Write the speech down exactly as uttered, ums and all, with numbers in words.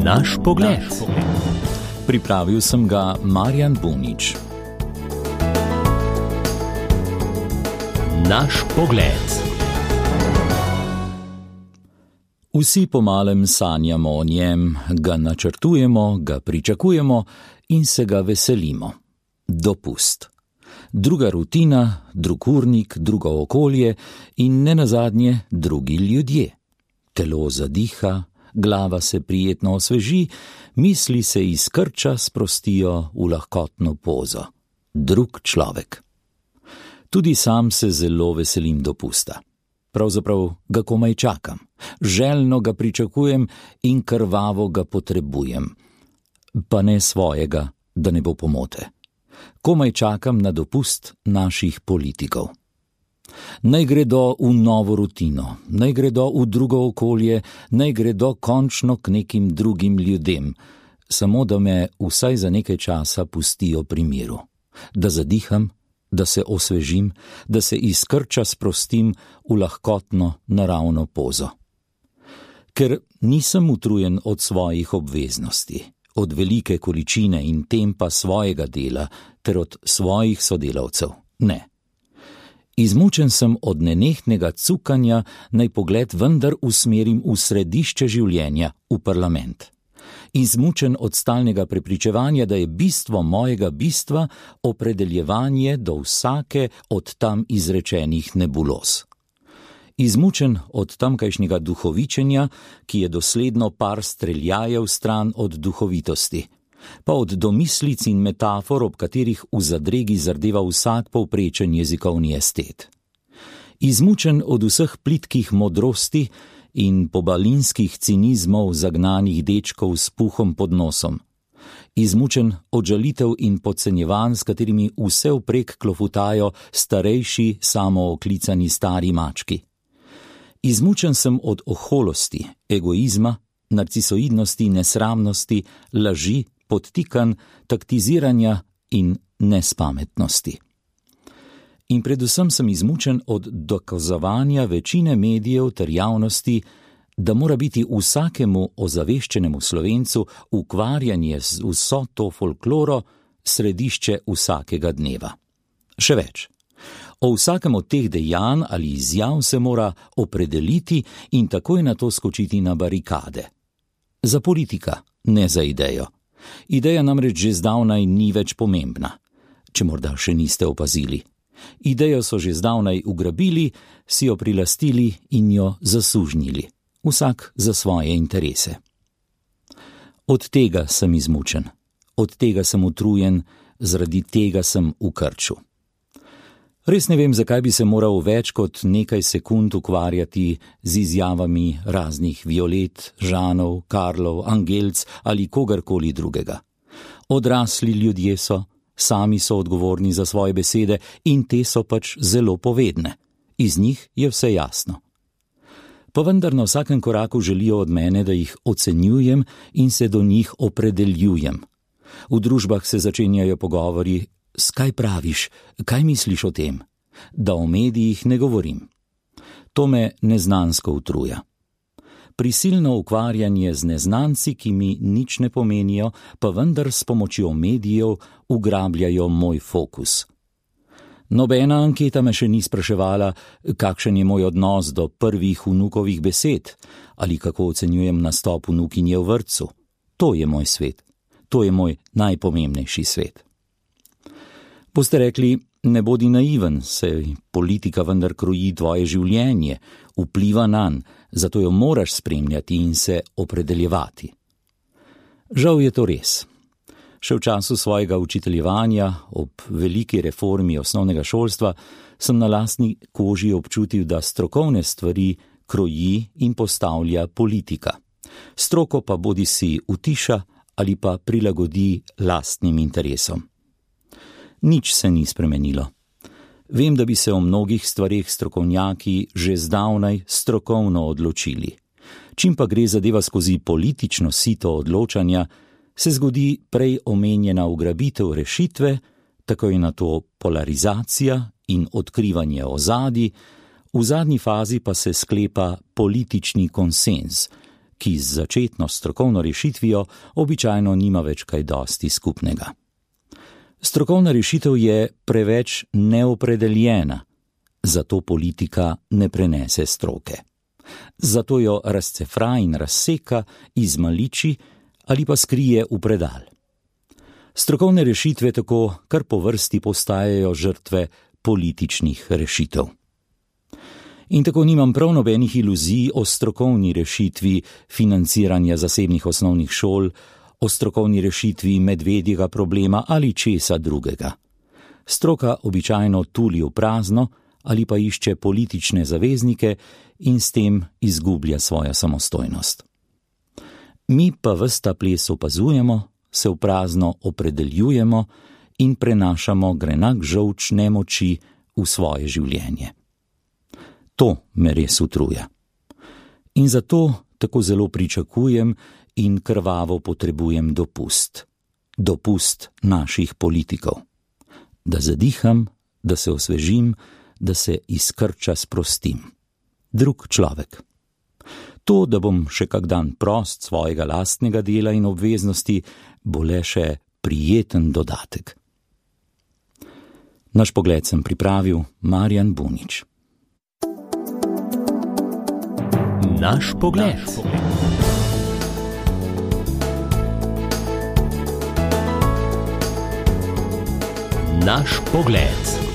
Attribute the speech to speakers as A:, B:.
A: Naš pogled. Pripravil sem ga Marjan Bunič. Naš pogled. Vsi pomalem sanjamo o njem, ga načrtujemo, ga pričakujemo in se ga veselimo. Dopust. Druga rutina, drug urnik, drugo okolje in nenazadnje drugi ljudje. Telo zadiha, glava se prijetno osveži, misli se iz krča sprostijo v lahkotno pozo. Drug človek. Tudi sam se zelo veselim dopusta. Pravzaprav ga komaj čakam, željno ga pričakujem in krvavo ga potrebujem. Pa ne svojega, da ne bo pomote. Komaj čakam na dopust naših politikov. Naj gredo v novo rutino, naj gredo v drugo okolje, naj gredo končno k nekim drugim ljudem, samo da me vsaj za nekaj časa pustijo pri miru. Da zadiham, da se osvežim, da se iz krča sprostim v lahkotno naravno pozo. Ker nisem utrujen od svojih obveznosti, od velike količine in tempa svojega dela ter od svojih sodelavcev. Ne. Izmučen sem od nenehnega cukanja, naj pogled vendar usmerim v središče življenja, v parlament. Izmučen od stalnega prepričevanja, da je bistvo mojega bistva opredeljevanje do vsake od tam izrečenih nebuloz. Izmučen od tamkajšnjega duhovičenja, ki je dosledno par streljajev stran od duhovitosti, pa od domislic in metafor, ob katerih v zadregi zardeva vsak povprečen jezikovni estet. Izmučen od vseh plitkih modrosti in pobalinskih cinizmov zagnanih dečkov s puhom pod nosom. Izmučen od žalitev in podcenjevanj, s katerimi vse vprek klofutajo starejši, samooklicani stari mački. Izmučen sem od oholosti, egoizma, narcisoidnosti, nesramnosti, laži, podtikanj, taktiziranja in nespametnosti. In predvsem sem izmučen od dokazovanja večine medijev ter javnosti, da mora biti vsakemu ozaveščenemu Slovencu ukvarjanje z vso to folkloro središče vsakega dneva. Še več. O vsakem od teh dejanj ali izjav se mora opredeliti in takoj na to skočiti na barikade. Za politika, ne za idejo. Ideja namreč že zdavnaj ni več pomembna, če morda še niste opazili. Idejo so že zdavnaj ugrabili, si jo prilastili in jo zasužnili. Vsak za svoje interese. Od tega sem izmučen, od tega sem utrujen, zaradi tega sem v krču. Res ne vem, zakaj bi se moral več kot nekaj sekund ukvarjati z izjavami raznih Violet, Žanov, Karlov, Angelc ali kogarkoli drugega. Odrasli ljudje so, sami so odgovorni za svoje besede in te so pač zelo povedne. Iz njih je vse jasno. Pa vendar na vsakem koraku želijo od mene, da jih ocenjujem in se do njih opredeljujem. V družbah se začenjajo pogovori: "S kaj praviš, kaj misliš o tem?" Da o medijih ne govorim. To me neznansko utruja. Prisilno ukvarjanje z neznanci, ki mi nič ne pomenijo, pa vendar s pomočjo medijev ugrabljajo moj fokus. Nobena anketa me še ni spraševala, kakšen je moj odnos do prvih vnukovih besed ali kako ocenjujem nastop vnukinje v vrtcu. To je moj svet. To je moj najpomembnejši svet. Boste rekli, ne bodi naiven, saj politika vendar kroji tvoje življenje, vpliva nanj, zato jo moraš spremljati in se opredeljevati. Žal je to res. Še v času svojega učiteljevanja, ob veliki reformi osnovnega šolstva, sem na lastni koži občutil, da strokovne stvari kroji in postavlja politika. Stroko pa bodisi utiša ali pa prilagodi lastnim interesom. Nič se ni spremenilo. Vem, da bi se o mnogih stvareh strokovnjaki že zdavnaj strokovno odločili. Čim pa gre zadeva skozi politično sito odločanja, se zgodi prej omenjena ugrabitev rešitve, tako je na to polarizacija in odkrivanje ozadij, v zadnji fazi pa se sklepa politični konsenz, ki z začetno strokovno rešitvijo običajno nima več kaj dosti skupnega. Strokovna rešitev je preveč neopredeljena, zato politika ne prenese stroke. Zato jo razcefra in razseka, izmaliči ali pa skrije v predal. Strokovne rešitve tako kar po vrsti postajajo žrtve političnih rešitev. In tako nimam prav nobenih iluzij o strokovni rešitvi financiranja zasebnih osnovnih šol, o strokovni rešitvi medvedjega problema ali česa drugega. Stroka običajno tuli v prazno ali pa išče politične zaveznike in s tem izgublja svojo samostojnost. Mi pa ves ta ples opazujemo, se v prazno opredeljujemo in prenašamo grenak žolč nemoči v svoje življenje. To me res utruja. In zato tako zelo pričakujem in krvavo potrebujem dopust. Dopust naših politikov. Da zadiham, da se osvežim, da se iz krča sprostim. Drug človek. To, da bom še kak dan prost svojega lastnega dela in obveznosti, bo le še prijeten dodatek. Naš pogled sem pripravil Marjan Bunič.
B: Naš pogled. Naš pogled.